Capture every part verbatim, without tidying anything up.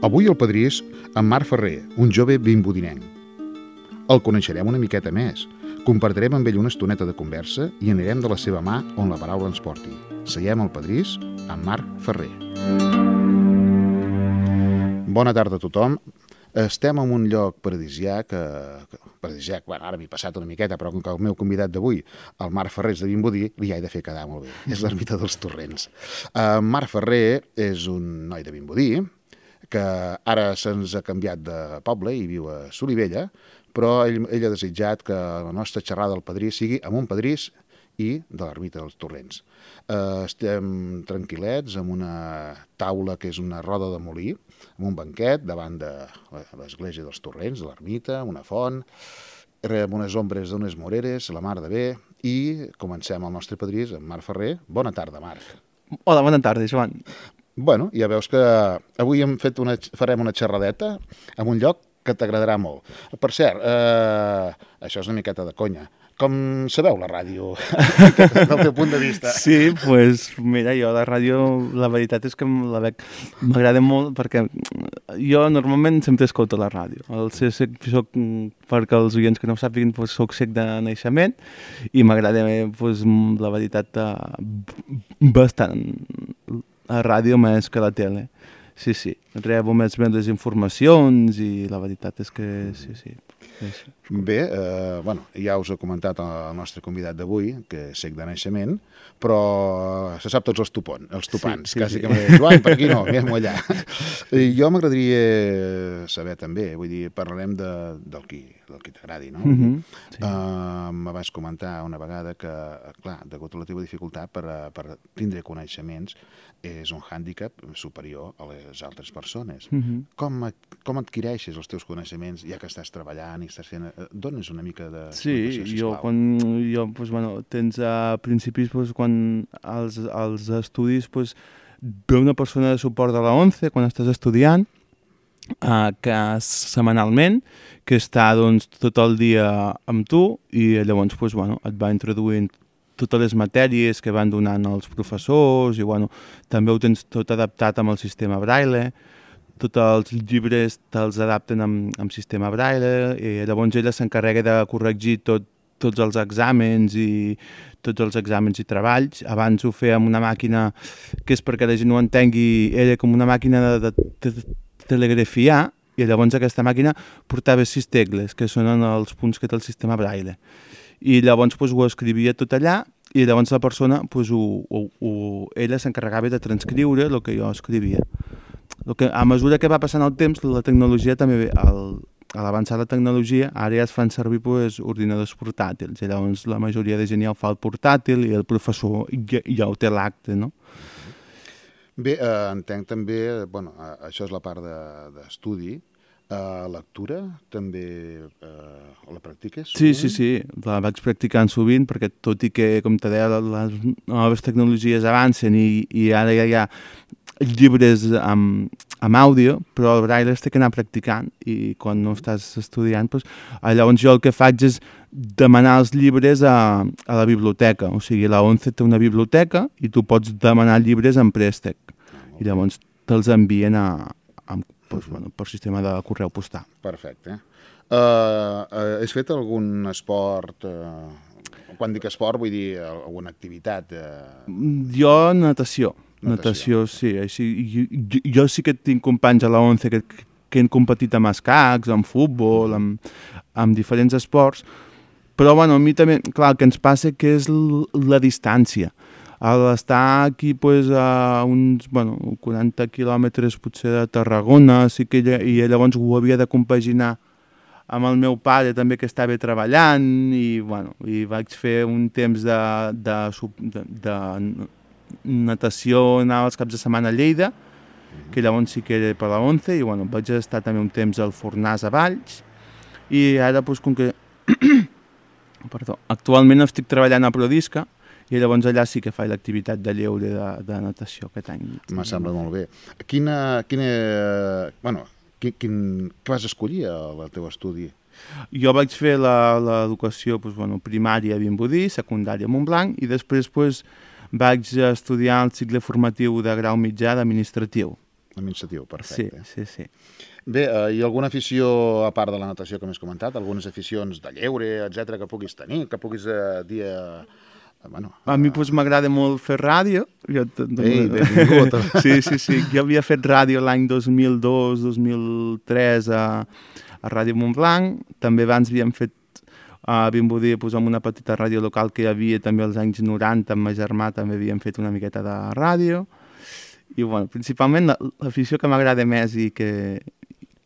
Avui el padrí és en Marc Ferrer, un jove vimbodinenc. El coneixerem una miqueta més, compartirem amb ell una estoneta de conversa i anirem de la seva mà on la paraula ens porti. Seguem al padrís amb Marc Ferrer. Bona tarda a tothom. Estem en un lloc paradisiac, eh, paradisiac, bueno, ara m'he passat una miqueta, però com que el meu convidat d'avui, el Marc Ferrer és de Vimbodí, li he de fer quedar molt bé. És l'ermita dels Torrents. Eh, Marc Ferrer és un noi de Vimbodí, que ara se'ns ha canviat de poble i viu a Solivella, però ell, ell ha desitjat que la nostra xerrada del padrí sigui amb un padrís i de l'ermita dels Torrents. Eh, estem tranquil·lets amb una taula que és una roda de molí, amb un banquet davant de l'església dels Torrents, de l'ermita, una font, amb unes ombres d'unes moreres, la mar de bé, i comencem el nostre padrís, en Marc Ferrer. Bona tarda, Marc. Hola, bona tarda, Joan. Bueno, ja veus que avui hem fet una, farem una xerradeta en un lloc que t'agradarà molt. Per cert, eh, això és una miqueta de conya. Com sabeu la ràdio, del teu punt de vista? Sí, doncs, pues, mira, jo la ràdio, la veritat és que la veig, m'agrada molt perquè jo normalment sempre escolto la ràdio. El soc, soc, perquè els oients que no ho sàpiguen, pues, soc cec de naixement i m'agrada, pues, la veritat, bastant la ràdio més que la tele. Sí, sí, rebo més bé les informacions i la veritat és que sí, sí. Bé, eh, bueno, ja us he comentat el nostre convidat d'avui, que és cec de naixement, però se sap tots els, topon, els topants, sí, sí, quasi sí. Que m'ha dit, Joan, per aquí no, anem allà. I jo m'agradaria saber també, vull dir, parlarem de, del qui, del qui t'agradi, no? Mm-hmm, sí. uh, me vas comentar una vegada que, clar, degut a la teva dificultat per, per tindre coneixements, és un hàndicap superior a les altres persones. Mm-hmm. Com, com adquireixes els teus coneixements, ja que estàs treballant i estàs fent... Dones una mica de... Sí, jo, quan, jo pues, bueno, tens a principis, pues, quan als, als estudis, pues, ve una persona de suport de la ONCE, quan estàs estudiant, uh, que setmanalment, que està doncs, tot el dia amb tu, i llavors pues, bueno, et va introduint totes les matèries que van donant els professors i bueno, també ho tens tot adaptat amb el sistema Braille, tots els llibres te'ls adapten amb, amb sistema Braille i llavors ella s'encarrega de corregir tot, tots els exàmens i tots els exàmens i treballs. Abans ho feia amb una màquina que és perquè la gent ho entengui, era com una màquina de, de, de telegrafiar i llavors aquesta màquina portava sis tecles, que són els punts que té el sistema Braille. I llavors pues, ho escrivia tot allà i llavors la persona, pues, ho, ho, ho, ella s'encarregava de transcriure el que jo escrivia. El que, a mesura que va passant el temps, la tecnologia també, al, a l'avançar la tecnologia, ara ja es fan servir pues, ordinadors portàtils, i llavors la majoria de gent ja ho fa el portàtil i el professor ja, ja ho té l'acte, no? Bé, eh, entenc també, bueno, això és la part d'estudi, de, Uh, lectura també uh, la practiques? Sí, sí, sí, la vaig practicant sovint perquè tot i que, com te deia, les noves tecnologies avancen i, i ara ja hi ha llibres amb, amb àudio, però el Braille es té que anar practicant i quan no estàs estudiant, doncs, llavors jo el que faig és demanar els llibres a, a la biblioteca, o sigui, la ONCE té una biblioteca i tu pots demanar llibres en préstec i llavors te'ls envien a, a Pues, bueno, per sistema de correu postal. Perfecte. Uh, uh, has fet algun esport? Uh, quan dic esport vull dir alguna activitat? Uh... Jo natació. Natació, natació sí. Així, jo, jo, jo sí que tinc companys a la ONCE que, que han competit amb escacs, amb futbol, amb, amb diferents esports, però bueno, a mi també, clar, el que ens passa que és la distància. Al estar aquí pues, a uns bueno, quaranta quilòmetres potser de Tarragona, sí que ella, i llavors ho havia de compaginar amb el meu pare també que estava treballant i, bueno, i vaig fer un temps de, de, de, de natació, anava els caps de setmana a Lleida, que llavors sí que era per la ONCE i bueno, vaig estar també un temps al Fornàs a Valls i ara pues, com que Perdó, actualment estic treballant a Prodisca i llavors allà sí que faig l'activitat de lleure de, de natació aquest any. Me sembla molt bé. Quina, quina, bueno, quin, quin, què vas escollir al teu estudi? Jo vaig fer l'educació doncs, bueno, primària a Vimbodí, secundària a Montblanc i després doncs, vaig estudiar el cicle formatiu de grau mitjà d'administratiu. Administratiu, perfecte. Sí, sí, sí. Bé, eh, i alguna afició, a part de la natació que m'has comentat, algunes aficions de lleure, etcètera, que puguis tenir, que puguis eh, dir... Eh, bueno, a mi pues, m'agrada molt fer ràdio. Jo, Ei, benvingut. Sí, sí, sí. Jo havia fet ràdio l'any dos mil dos, dos mil tres a, a Ràdio Montblanc. També abans havíem fet a Vimbodí, pues, amb una petita ràdio local que hi havia també als anys noranta, amb ma germà també havíem fet una miqueta de ràdio. I, bueno, principalment l'afició que m'agrada més i que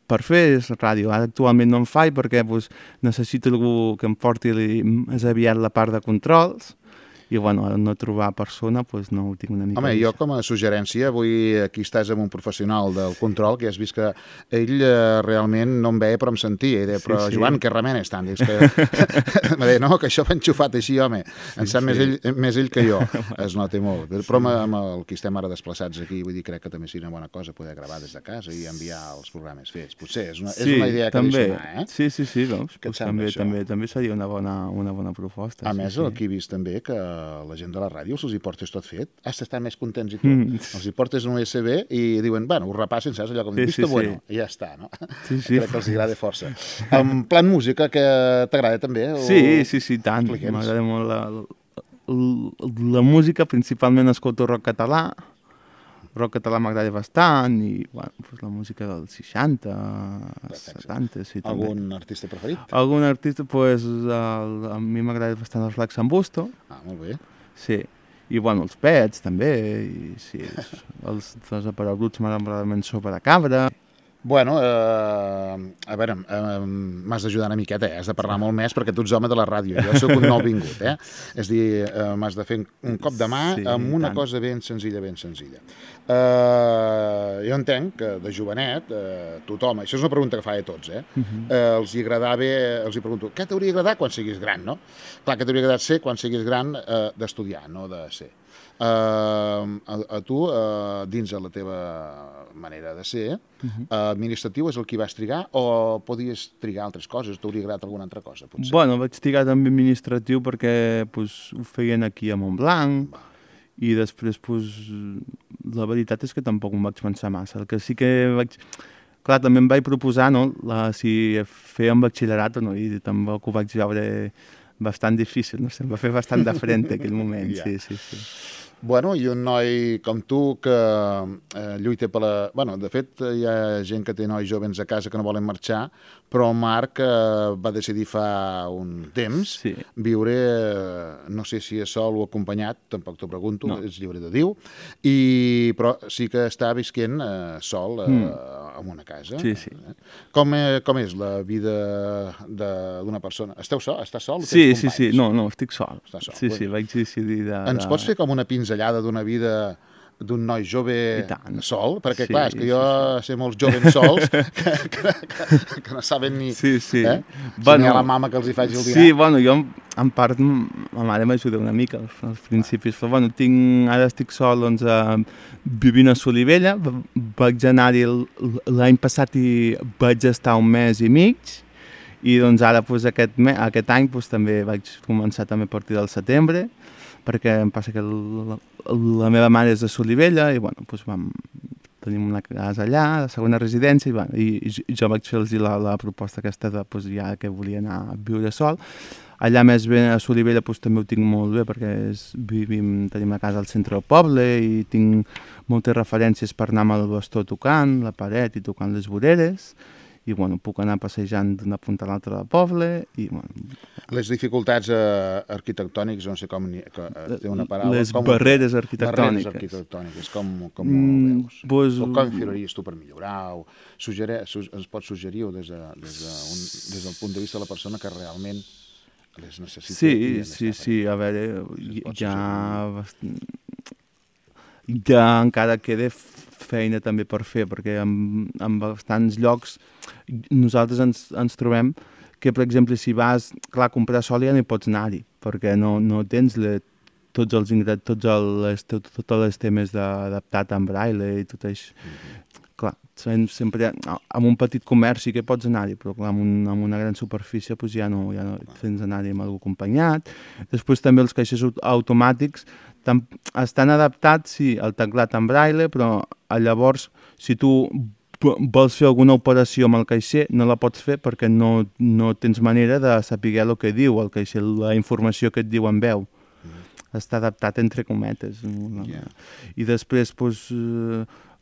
per fer és ràdio. Ara actualment no en faig perquè pues, necessito algú que em porti més aviat la part de controls. I, bueno, al no trobar persona, doncs no ho tinc una mica... Home, jo com a suggerència, avui aquí estàs amb un professional del control, que has vist que ell eh, realment no em veia però em sentia, i deia, però sí, sí. Joan, què remenes tant? Dius que... em deia, no, que això va enxufat així, home, en sap sí. més, ell, més ell que jo, es nota molt. Però amb, amb el que estem ara desplaçats aquí, vull dir, crec que també seria una bona cosa poder gravar des de casa i enviar els programes fets. Potser és una, sí, és una idea que també. Sonar, eh? Sí, sí, sí, doncs, pues també, també, també seria una bona, una bona proposta. A sí, més, sí. aquí he vist també que la gent de la ràdio se'ls hi portes tot fet, has d'estar més contents i tot. Mm. Els hi portes un U S B i diuen, bueno, ho repassen, saps? Allò com, sí, vista sí, bueno, sí. i ja està, no? Sí, sí. Crec que els agrada força. En plan música, que t'agrada també? O... Sí, sí, sí, tant. M'agrada molt la, la, la música, principalment escolto rock català. Rock català m'agrada bastant i, bueno, pues la música dels seixanta, setanta, sí, també. Algun artista preferit? Algun artista, pues, el, a mi m'agrada bastant el Flac Sambusto. Ah, molt bé. Sí, i bueno, els Pets també, i sí, els, els aparells m'agraden sopa de cabra. Bueno, eh, a veure, eh, m'has d'ajudar una miqueta, eh? Has de parlar molt més perquè tu ets home de la ràdio, jo sóc un nou vingut, eh? És dir, eh, m'has de fer un cop de mà sí, amb una tant. cosa ben senzilla, ben senzilla. Eh, jo entenc que de jovenet, eh, tothom, això és una pregunta que fa a tots, eh? Uh -huh. eh els hi agradava, els hi pregunto, què t'hauria agradat quan siguis gran, no? Clar, què t'hauria agradat ser quan siguis gran eh, d'estudiar, no de ser. Uh, a, a tu, uh, dins de la teva manera de ser, uh -huh. uh, administratiu és el que vas trigar o podies trigar altres coses? T'hauria agradat alguna altra cosa, potser? Bueno, vaig trigar també administratiu perquè pues, ho feien aquí a Montblanc. Va. I després, pues, la veritat és que tampoc em vaig pensar massa. El que sí que vaig... Clar, també em vaig proposar, no?, la, si feia un batxillerat o no, i tampoc ho vaig veure bastant difícil, no sé, em va fer bastant de frente aquell moment, ja. sí, sí, sí. Bueno, i un noi com tu que eh, lluita per la... Bueno, de fet, hi ha gent que té nois joves a casa que no volen marxar, però el Marc eh, va decidir fa un temps sí. viure, eh, no sé si és sol o acompanyat, tampoc t'ho pregunto, no. és lliure de Déu, i, però sí que està visquent eh, sol eh, mm. en una casa. Sí, sí. Eh? Com, eh, com és la vida d'una persona? Esteu sol? Estàs sol? Sí, sí, sí, no, no, estic sol. Estàs sol. Sí, sí, vaig decidir de... Ens pots fer com una pinzellada d'una vida d'un noi jove sol? Perquè, sí, clar, és que jo sí, sí. sé molts joves sols que, que, que, que no saben ni... Sí, sí. Eh? Bueno, si n'hi ha la mama que els hi faci el dinar. Sí, bueno, jo, en part, ma mare m'ajuda una mica als, als principis, però, bueno, tinc, ara estic sol, doncs, a, vivint a Solivella, vaig anar-hi l'any passat i vaig estar un mes i mig, i, doncs, ara, doncs, aquest, me, aquest any, doncs, també vaig començar també a partir del setembre, perquè em passa que la, la meva mare és de Solivella i, bueno, doncs vam, tenim una casa allà, la segona residència, i, bueno, i, i jo vaig fer-los la, la proposta aquesta de, doncs, ja que volia anar a viure sol. Allà més bé a Solivella doncs, també ho tinc molt bé perquè és, vivim, tenim una casa al centre del poble i tinc moltes referències per anar amb el bastó tocant la paret i tocant les voreres, i, bueno, puc anar passejant d'una punta a l'altra del poble i, bueno... Les dificultats eh, arquitectòniques, no sé com ni, que, eh, té una paraula... Les com, barreres arquitectòniques. Barreres arquitectòniques, com, com mm, ho veus? Pues, o com filaries tu per millorar? O suggerir, su, ens pots suggerir des, de, des, de un, des del punt de vista de la persona que realment les necessita? Sí, sí, sí, a veure, ja... Bastant... ja encara queda feina també per fer, perquè en, en bastants llocs nosaltres ens, ens trobem que, per exemple, si vas, clar, a comprar sol ja no hi pots anar-hi, perquè no, no tens le, tots els ingredients, tots els, tot, tots els temes adaptat en braille i tot això. Mm-hmm. Clar, sempre amb un petit comerç sí que pots anar-hi, però clar, amb, un, amb una gran superfície pues, ja no, ja no tens d'anar-hi amb algú acompanyat. Després també els caixers automàtics estan adaptats, sí, al teclat en braille, però llavors, si tu vols fer alguna operació amb el caixer, no la pots fer perquè no, no tens manera de saber el que diu el caixer, la informació que et diu en veu. Mm. Està adaptat entre cometes. No? Yeah. I després, doncs,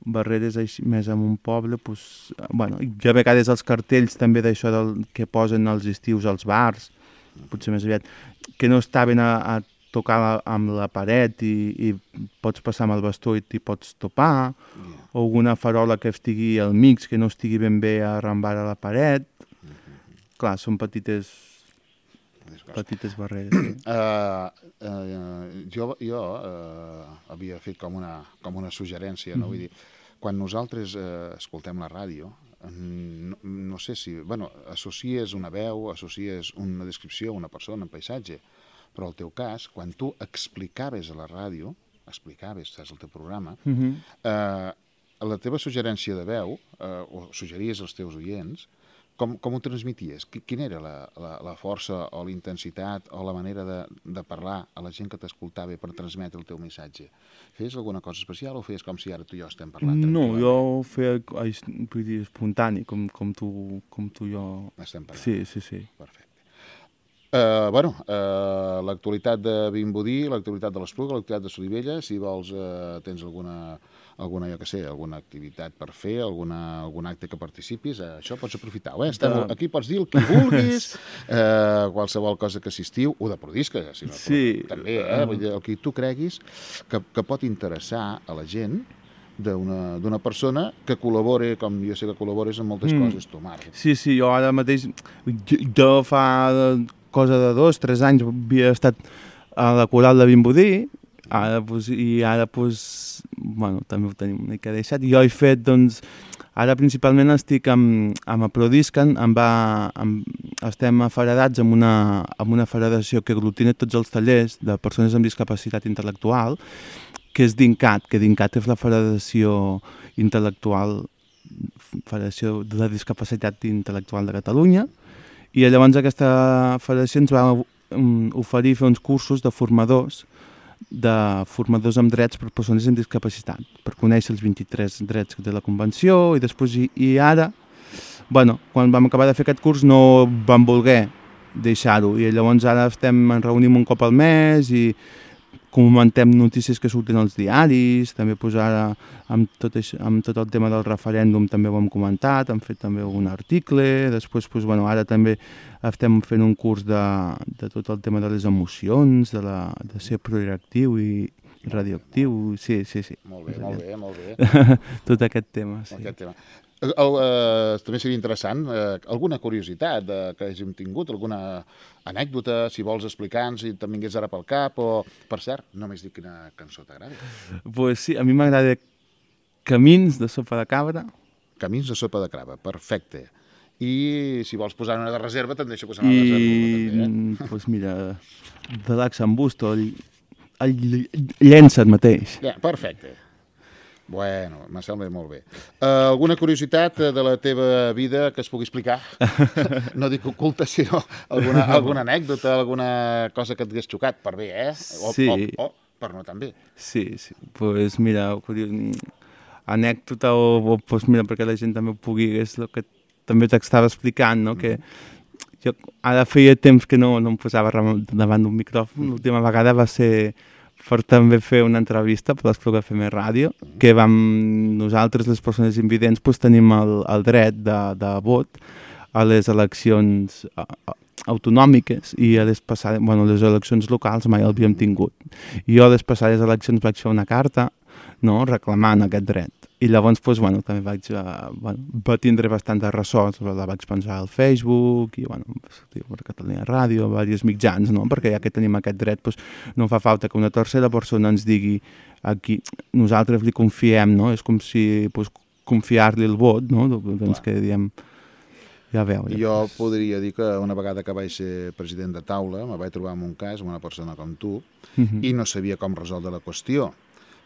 barreres així, més en un poble, doncs, bueno, i a vegades els cartells també d'això del que posen els estius als bars, potser més aviat, que no estaven a, a tocar la, amb la paret i, i pots passar amb el bastó i t'hi pots topar, yeah. O alguna farola que estigui al mig, que no estigui ben bé arrambada a la paret. Mm-hmm. Clar, són petites, petites barreres. Sí. Uh, uh, jo jo uh, havia fet com una, com una suggerència, no? Mm-hmm. Vull dir, quan nosaltres uh, escoltem la ràdio, no, no sé si... Bueno, associes una veu, associes una descripció, una persona, un paisatge, però el teu cas, quan tu explicaves a la ràdio, explicaves, saps, el teu programa, mm-hmm. eh, la teva suggerència de veu, eh, o suggeries als teus oients, com, com ho transmities? Quina era la, la, la força o la intensitat o la manera de, de parlar a la gent que t'escoltava per transmetre el teu missatge? Feies alguna cosa especial o feies com si ara tu i jo estem parlant? No, jo feia vull dir, espontani, com, com, tu, com tu i jo... Estem parlant. Sí, sí, sí. Perfecte. Uh, bueno, uh, l'actualitat de Vimbodí, l'actualitat de l'Espluga, l'actualitat de Solivella, si vols, uh, tens alguna, alguna, jo què sé, alguna activitat per fer, alguna, algun acte que participis, uh, això pots aprofitar-ho, eh? Estem, aquí pots dir el que vulguis, uh, qualsevol cosa que assistiu, o de prodisca, si no, sí. També, eh? Vull dir, el que tu creguis que, que pot interessar a la gent d'una persona que col·labore, com jo sé que col·labores en moltes mm. coses, tu, Marc. Sí, sí, jo ara mateix, jo, jo fa cosa de dos, tres anys havia estat a la coral de Vimbodí, ara, pues, i ara, pues, bueno, també ho tenim una mica deixat. Jo he fet, doncs, ara principalment estic amb, amb Aprodiscan, em va, amb, estem afederats amb una, amb una federació que aglutina tots els tallers de persones amb discapacitat intel·lectual, que és DINCAT, que DINCAT és la Federació Intel·lectual, Federació de la Discapacitat Intel·lectual de Catalunya, i llavors aquesta federació ens va oferir fer uns cursos de formadors, de formadors amb drets per persones amb discapacitat, per conèixer els vint-i-tres drets de la Convenció, i després, i, i ara, bueno, quan vam acabar de fer aquest curs no vam voler deixar-ho, i llavors ara estem, ens reunim un cop al mes, i comentem notícies que surten als diaris, també pues, ara amb tot, això, amb tot el tema del referèndum també ho hem comentat, hem fet també un article, després pues, bueno, ara també estem fent un curs de, de tot el tema de les emocions, de, la, de ser proactiu i radioactiu, sí, sí, sí. Molt bé, molt bé, molt bé. Tot aquest tema, sí. Aquest tema. El, uh, també seria interessant, uh, alguna curiositat uh, que hàgim tingut, alguna anècdota, si vols explicar-nos, si te'n vingués ara pel cap, o, per cert, no m'has dit quina cançó t'agrada. Pues sí, a mi m'agrada Camins, de Sopa de Cabra. Camins de Sopa de Cabra, perfecte. I si vols posar una de reserva, te'n deixo posar una de reserva. I, també, eh? Pues mira, de l'Ax en Busto, el, el llença el mateix. Ja, perfecte. Bueno, me sembla molt bé. Uh, alguna curiositat de la teva vida que es pugui explicar? No dic oculta, sinó alguna, alguna anècdota, alguna cosa que et hagués xocat, per bé, eh? O, sí. O, o per no tan bé. Sí, sí. Pues mira, anècdota o, o pues mira, perquè la gent també ho pugui, és el que també t'estava explicant, no? Mm. Que jo ara feia temps que no, no em posava davant d'un micròfon. L'última vegada va ser per també fer una entrevista per l'Espluga F M Ràdio, que vam, nosaltres, les persones invidents, pues, tenim el, el dret de, de vot a les eleccions autonòmiques i a les passades, bueno, les eleccions locals mai el havíem tingut. I jo a les passades eleccions vaig fer una carta, no?, reclamant aquest dret. I llavors, pues, bueno, també vaig, uh, bueno, va tindre bastant de ressò, la vaig pensar al Facebook i, bueno, per Catalunya Ràdio, diversos mitjans, no?, perquè ja que tenim aquest dret, pues, no fa falta que una tercera persona ens digui aquí, nosaltres li confiem, no?, és com si, pues, confiar-li el vot, no?, doncs que diem, ja veu. Ja. Jo podria dir que una vegada que vaig ser president de taula, me vaig trobar en un cas amb una persona com tu, uh-huh. i no sabia com resoldre la qüestió.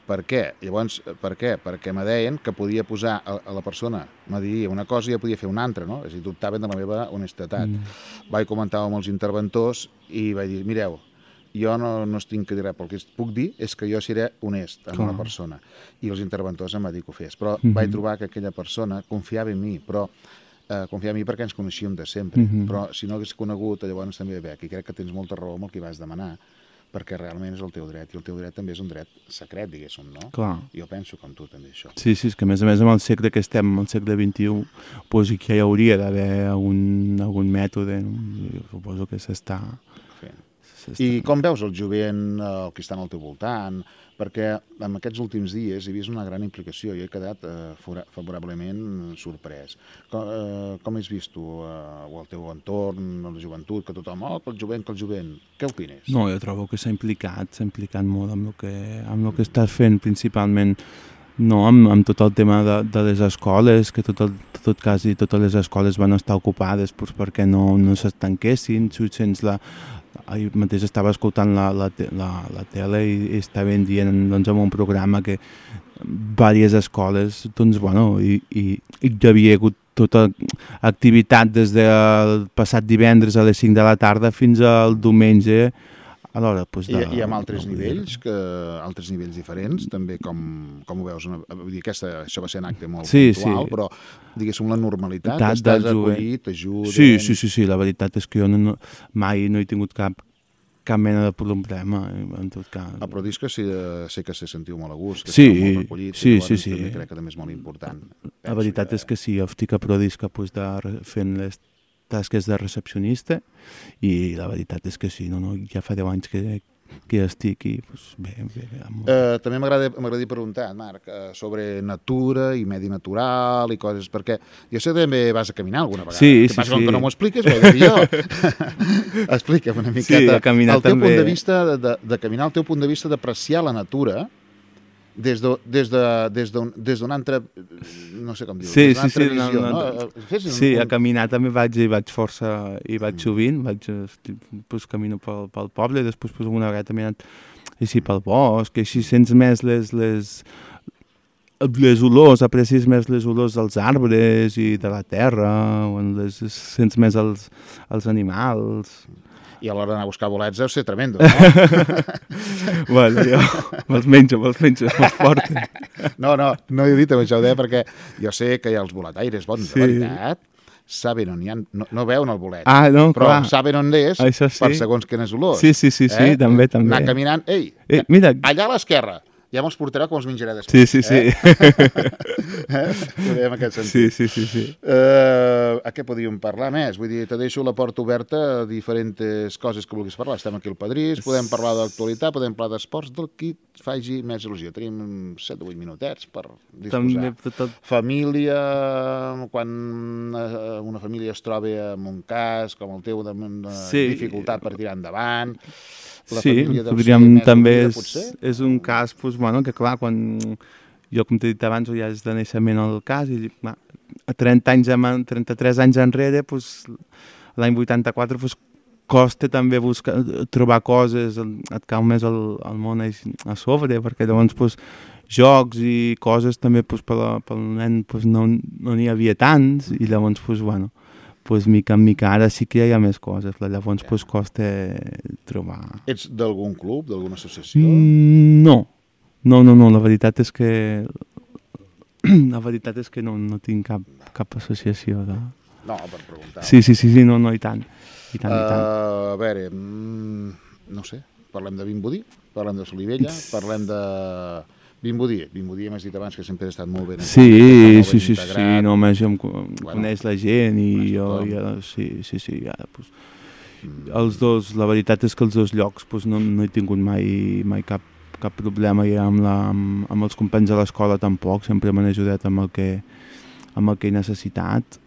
Per què? Llavors, per què? Perquè me deien que podia posar a, a la persona, me diria una cosa i ja podia fer una altra, no? És a dir, dubtaven de la meva honestedat. Mm. Vaig comentar amb els interventors i vaig dir, mireu, jo no, no estic que dir res, però el que puc dir és que jo seré honest amb Clar. una persona, i els interventors em va dir que ho fes, però Mhm. vaig trobar que aquella persona confiava en mi, però eh, confiava en mi perquè ens coneixíem de sempre, Mhm. però si no hagués conegut, llavors també bé, i crec que tens molta raó amb el que vas demanar, perquè realment és el teu dret, i el teu dret també és un dret secret, diguéssim, no? Clar. Jo penso com tu també, això. Sí, sí, és que a més a més amb el segle que estem, el segle vint-i-u, pues, que hi hauria d'haver algun, algun mètode, no? Jo suposo que s'està... Fent. s'està- I com veus el jovent, el que està al teu voltant? Perquè en aquests últims dies he vist una gran implicació i he quedat eh, fora- favorablement sorprès. Com, eh, com has vist tu, eh, o el teu entorn, la joventut, que tothom, oh, que el jovent, que el jovent, què opines? No, jo trobo que s'ha implicat, s'ha implicat molt amb el que, amb el que estàs fent, principalment no, amb, amb tot el tema de, de les escoles, que tot, el, tot quasi totes les escoles van estar ocupades pues, perquè no, no s'estanquessin, sense la... Ahir mateix estava escoltant la, la, te- la, la tele i, i estaven dient doncs, en un programa que diverses escoles, doncs, bueno, i, i, i hi havia hagut tota activitat des del passat divendres a les cinc de la tarda fins al diumenge a l'hora. Pues, I, de, I amb altres de- nivells, que, altres nivells diferents, també com, com ho veus? Una, vull dir, aquesta, això va ser un acte molt Sí, puntual, sí. però diguéssim la normalitat, Tant estàs del jovent. acollit, t'ajuden... Sí, sí, sí, sí, la veritat és que jo no, no, mai no he tingut cap, cap mena de problema, en tot cas. Ah, però dius que sí, eh, sé que se sentiu molt a gust, que Sí, esteu molt recollits, sí, i llavors sí, sí. també crec que també és molt important. La veritat és que sí, jo estic a Prodisca pues, de, re- fent les tasques de recepcionista i la veritat és que sí, no, no, ja fa deu anys que, que estic i pues, bé, bé, bé molt... Eh, també m'agrada m'agradaria preguntar, Marc, eh, sobre natura i medi natural i coses, perquè jo sé que també vas a caminar alguna vegada. Sí, que sí, passa, com sí. que no m'ho expliques, ho he de dir jo. Explica'm una miqueta a caminar el teu també. punt de vista de, de, de caminar, el teu punt de vista d'apreciar la natura des d'un des de, des d'un des d'un altre, no sé com dir-ho, Sí, des d'una sí, altra sí, no, visió, no, no? no. Fes un, Sí, a un... caminar també vaig i vaig força, i vaig sovint, vaig, estic, pues, camino pel, pel poble, després pues, alguna vegada també he anat així pel bosc, i així sents més les, les, les olors, aprecies més les olors dels arbres i de la terra, o en les, sents més els, els animals. I a l'hora d'anar a buscar bolets deu ser tremendo, no? Bueno, jo me'ls menjo, me'ls menjo, me'ls porten. No, no, no he dit amb això, ho deia perquè jo sé que hi ha els boletaires bons, Sí. de veritat, saben on hi ha, no, no veuen el bolet, Ah, no, però clar. saben on és Això sí. per segons quines olors. Sí, sí, sí, sí, també, també. Anar caminant, ei, Eh, mira, allà a l'esquerra, ja me'ls portarà com els menjaré després. sí, sí, sí. Eh? eh? Ho dèiem en aquest sentit. Sí, sí, sí, sí. Uh, a què podíem parlar més? Vull dir, te deixo la porta oberta a diferents coses que vulguis parlar. Estem aquí al Padrís, podem parlar d'actualitat, podem parlar d'esports, del qui et faci més il·lusió. Tenim set o vuit minutets per disposar. També tot el... Família, quan eh, una família es troba en un cas com el teu, de, de Sí. dificultat per tirar endavant, la Sí, família deu ser podríem, més també unida, és, potser? és un cas, doncs, bueno, que clar, quan jo, com t'he dit abans, ja és de naixement el cas, i va, a trenta anys, en- trenta-tres anys enrere, doncs, l'any vuitanta-quatre, doncs, costa també buscar, trobar coses, et cau més el, el món a, a sobre, perquè llavors, doncs, jocs i coses també, doncs, pel, pel nen, doncs, no no n'hi havia tants, i llavors, doncs, bueno, pues, mica en mica, ara sí que hi ha més coses, llavors pues, costa trobar... Ets d'algun club, d'alguna associació? Mm, no, no, no, no, la veritat és que la veritat és que no, no tinc cap, cap associació de... No, per preguntar. Sí, sí, sí, sí, no, no, i tant, i tant, i tant. Uh, a veure, mm, no sé, parlem de Vimbodí, parlem de Solivella, parlem de Vimbodí. Vimbodí m'has dit abans que sempre ha estat molt ben Sí, molt sí, ben sí, sí, integrat. no, més em co- Bueno, coneix la gent i coneix jo, tothom. ja, sí, sí, sí, ja, pues, els dos, la veritat és que els dos llocs pues, no, no he tingut mai, mai cap, cap problema i amb, la, amb, amb els companys de l'escola tampoc, sempre m'han ajudat amb el que, amb el que he necessitat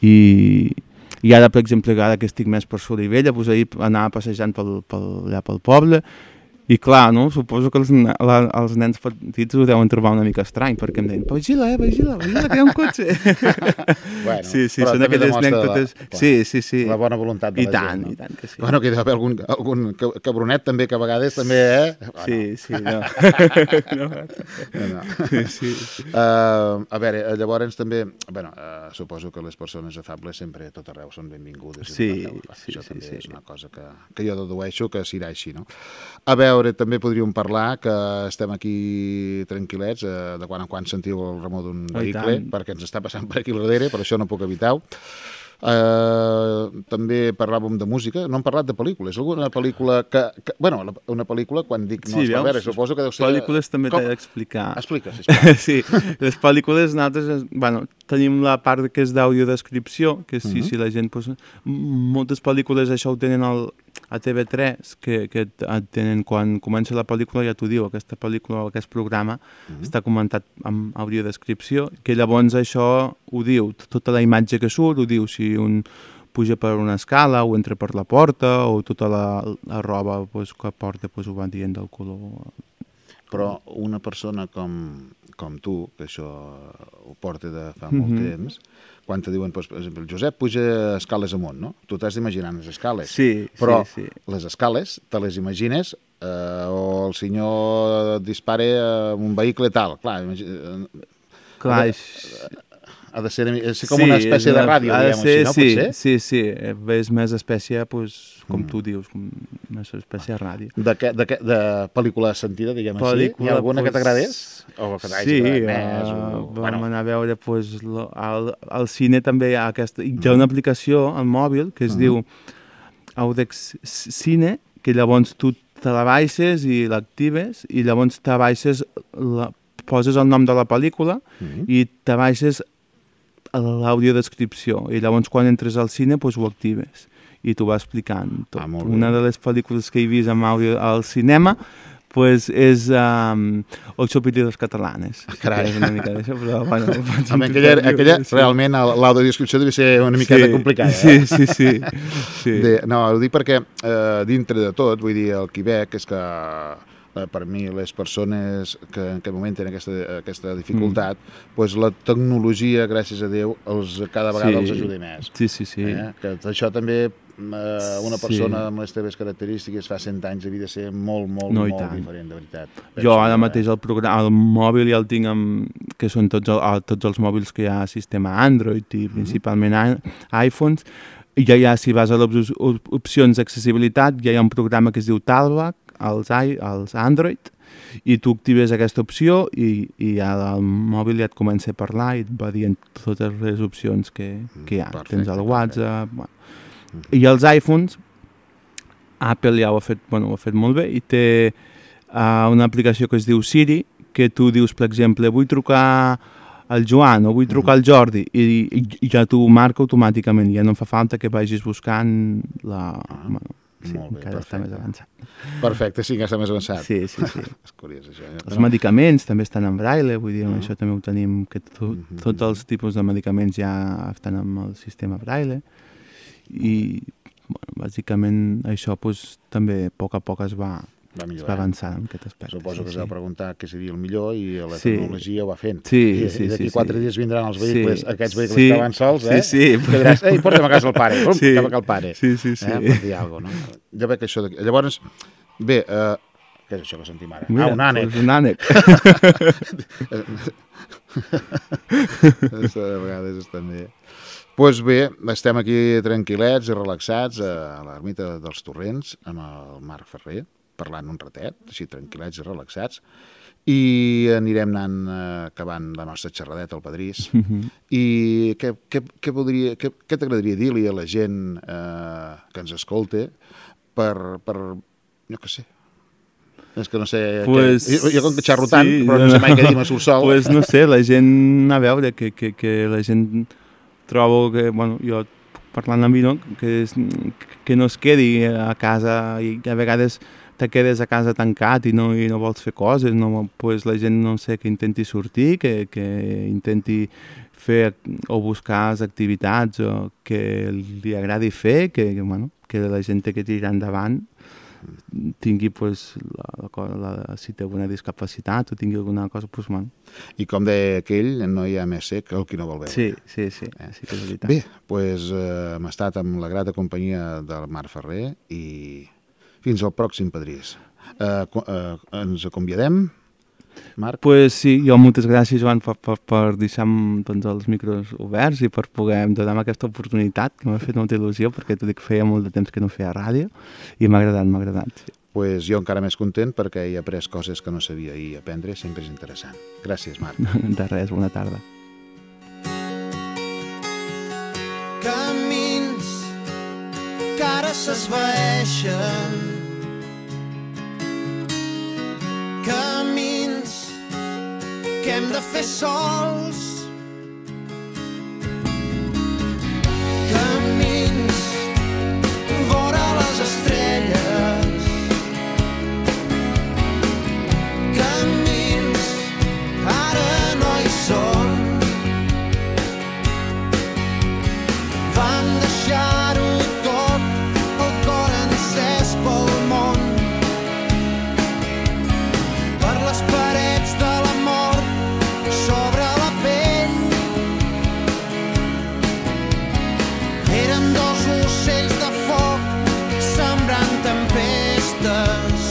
i, i ara, per exemple, ara que estic més per Solivella, pues, ahir anava passejant pel, pel, allà pel poble I clar, no? Suposo que els, la, els nens petits ho deuen trobar una mica estrany, perquè em deien, vigila, eh, vigila, vigila, que hi ha un cotxe. Bueno, sí, sí, però són també aquelles demostra anècdotes... la, clar, sí, sí, sí. la bona voluntat de I la tant, gent. No? I tant que sí. Bueno, que hi deu haver algun, algun cabronet també, que a vegades també, eh? Sí, sí, no. no. no. sí, sí. Uh, a veure, llavors també, bueno, uh, suposo que les persones afables sempre a tot arreu són benvingudes. Sí, sí, això sí, també sí, és sí. una cosa que, que jo dedueixo que serà així, no? A veure, també podríem parlar que estem aquí tranquil·lets, eh, de quan en quan sentiu el remor d'un vehicle, perquè ens està passant per aquí darrere, per això no puc evitar-ho. Uh, també parlàvem de música, no hem parlat de pel·lícules. Alguna pel·lícula que... que bueno, una pel·lícula, quan dic no sí, es va veure, suposo que deu ser... Pel·lícules també t'he d'explicar. Explica, sisplau. sí, les pel·lícules nosaltres, bueno, tenim la part que és d'audiodescripció, que sí, uh -huh. si la gent... Pues, moltes pel·lícules això ho tenen al, a T V tres, que, que et tenen quan comença la pel·lícula, ja t'ho diu, aquesta pel·lícula o aquest programa uh -huh. està comentat amb audiodescripció, que llavors això ho diu, tota la imatge que surt, ho diu si un puja per una escala o entra per la porta o tota la, la roba pues, que porta pues, ho va dient del color. Però una persona com, com tu, que això ho porta de fa molt Mm-hmm. temps, quan te diuen, pues, per exemple, el Josep puja escales amunt, no? Tu t'has d'imaginar les escales. Sí, però sí, sí. les escales te les imagines eh, o el senyor dispara amb un vehicle tal. Clar, imagina, Clar, eh, ha de ser, és com sí, una espècie de ràdio, diguem ser, així, no? Sí, Potser? sí, sí, és més espècie, pues, com mm. tu dius, com més espècie de ràdio. De, que, de, que, de pel·lícula sentida, diguem pel·lícula, així? Hi ha alguna pues, que t'agradés? O que t'hagi sí, agradat més? Uh, O, vam bueno. anar a veure, pues, lo, al, al cine també hi ha, aquesta, hi ha una aplicació al mòbil que es uh -huh. diu Audex Cine, que llavors tu te la baixes i l'actives, i llavors te baixes, la, poses el nom de la pel·lícula uh -huh. i te baixes l'audiodescripció, i llavors quan entres al cine pues, ho actives i t'ho va explicant tot. Ah, una de les pel·lícules que he vist amb àudio al cinema pues, és um, Ocho Pitidos Catalanes. Carai. És una mica d'això, però bueno... Home, aquella, aquella sí. realment l'audiodescripció devia ser una miqueta sí, complicada. Sí, eh? sí, sí. sí. De, no, ho dic perquè eh, dintre de tot, vull dir, el Quebec és que eh, per mi les persones que en aquest moment tenen aquesta, aquesta dificultat, mm. pues la tecnologia, gràcies a Déu, els, cada vegada sí. els ajuda més. Sí, sí, sí. Eh? Que això també eh, una persona sí. amb les teves característiques fa cent anys havia de ser molt, molt, no, molt diferent, de veritat. Penso jo ara que... mateix el, programa, el mòbil ja el tinc amb, que són tots, el, tots els mòbils que hi ha sistema Android i mm. principalment iPhones, i ja hi ha, si vas a les opcions d'accessibilitat, ja hi ha un programa que es diu Talkback, als, als Android, i tu actives aquesta opció i, i ja el mòbil ja et comença a parlar i et va dient totes les opcions que, que hi ha. Perfecte, tens el WhatsApp... Bueno. I els iPhones, Apple ja ho ha fet, bueno, ho ha fet molt bé i té uh, una aplicació que es diu Siri, que tu dius, per exemple, vull trucar al Joan o vull trucar al Jordi i, i ja t'ho marca automàticament, ja no fa falta que vagis buscant la... Ah. Bueno, sí, molt bé, encara perfecte. està més avançat. Perfecte, sí que està més avançat. Sí, sí, sí. És curiós, això. Eh? Els no. medicaments també estan en braille, vull dir, uh -huh. això també ho tenim, que to, uh -huh. tots els tipus de medicaments ja estan amb el sistema braille i, bueno, bàsicament això pues, també a poc a poc es va, va, es va avançar en aquest aspecte. Suposo sí, que sí. s'ha de preguntar què seria el millor i la sí. tecnologia ho va fent. Sí, I, sí, i d'aquí sí, quatre sí. dies vindran els vehicles, sí. aquests vehicles sí. que van sols, eh? Sí, sí. Que diràs, ei, porta'm a casa el pare, Pum, sí. cap a el pare. Sí, sí, sí. Eh? Per dir alguna cosa, no? Jo veig que això... De... Llavors, bé, eh, què és això que sentim ara? Mira, ah, un ànec. Pues un ànec. Això de vegades és també... Doncs pues bé, estem aquí tranquil·lets i relaxats a l'ermita dels Torrents amb el Marc Ferrer, parlant un ratet, així tranquil·lets i relaxats, i anirem anant eh, acabant la nostra xerradeta al Padrís. Mm-hmm. I què, què, què, voldria, què, què t'agradaria dir-li a la gent eh, que ens escolta per, per, jo què sé, és que no sé... Pues, què, jo, jo com que xerro tant, sí, però no sé mai què dir, me surt sol. Pues no sé, la gent, a veure, que, que, que la gent trobo que, bueno, jo parlant amb mi, no? Que, és, que no es quedi a casa i a vegades te quedes a casa tancat i no, i no vols fer coses, no, pues la gent, no sé, que intenti sortir, que, que intenti fer o buscar activitats o que li agradi fer, que, que, bueno, que la gent té que tirar endavant tingui, pues, la, la, la, si té alguna discapacitat o tingui alguna cosa, pues, bueno. I com deia aquell, no hi ha més sec que el qui no vol veure. Sí, sí, sí, eh? sí que és veritat. Bé, doncs eh, hem estat amb la grata companyia del Marc Ferrer i fins al pròxim Pedrís. Eh, eh, ens acomiadem, Marc? Pues sí, jo moltes gràcies, Joan, per, per, per deixar doncs, els micros oberts i per poder donar-me aquesta oportunitat, que m'ha fet molta il·lusió, perquè t'ho dic, feia molt de temps que no feia ràdio, i m'ha agradat, m'ha agradat. Sí. Pues jo encara més content perquè he après coses que no sabia i aprendre sempre és interessant. Gràcies, Marc. De res, bona tarda. Camins que ara s'esvaeixen, camins que hem de fer sols, camins vora les estrelles, camins ara no hi són, vam deixar-ho tot, el cor encès pel món, per les parets de l'amor sobre la pell. Érem dos ocells de foc sembrant tempestes.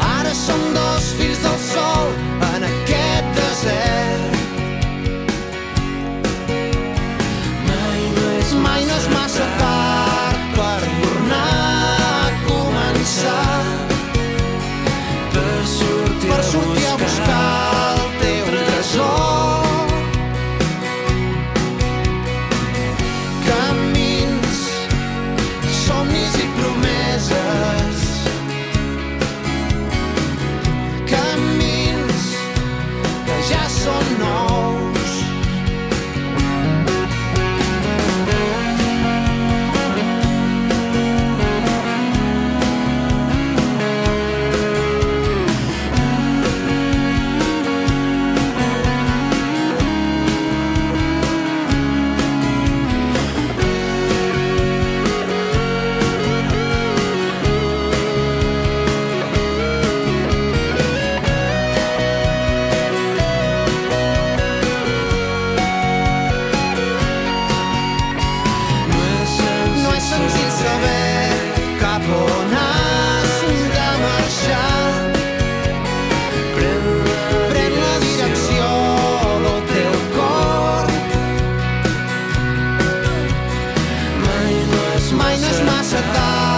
Ara som dos fills del sol en aquest desert. Mai no és, mai no és massa tard per tornar a començar, per sortir, per sortir a buscar el teu tresor. Camins, somnis i promeses, camins que ja són nous. No és senzill saber cap on has de marxar. Pren la direcció del teu cor. Mai no és, mai no és massa tard